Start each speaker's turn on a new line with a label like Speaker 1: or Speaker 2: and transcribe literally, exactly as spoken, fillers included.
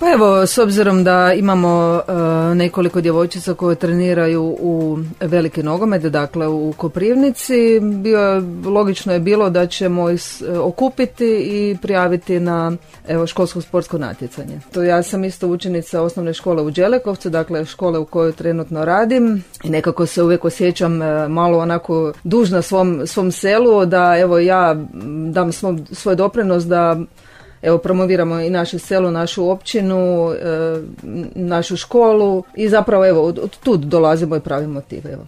Speaker 1: Pa evo, s obzirom da imamo uh, nekoliko djevojčica koje treniraju u veliki nogomet, dakle u Koprivnici, bio, logično je bilo da ćemo ih okupiti i prijaviti na evo, školsko sportsko natjecanje. To ja sam isto učenica osnovne škole u Đelekovcu, dakle škole u kojoj trenutno radim i nekako se uvijek osjećam uh, malo onako dužna svom, svom selu, da evo ja dam svom, svoj doprinos da evo promoviramo i naše selo, našu općinu, e, našu školu i zapravo evo od, od tud dolazimo i pravi motiv. Evo.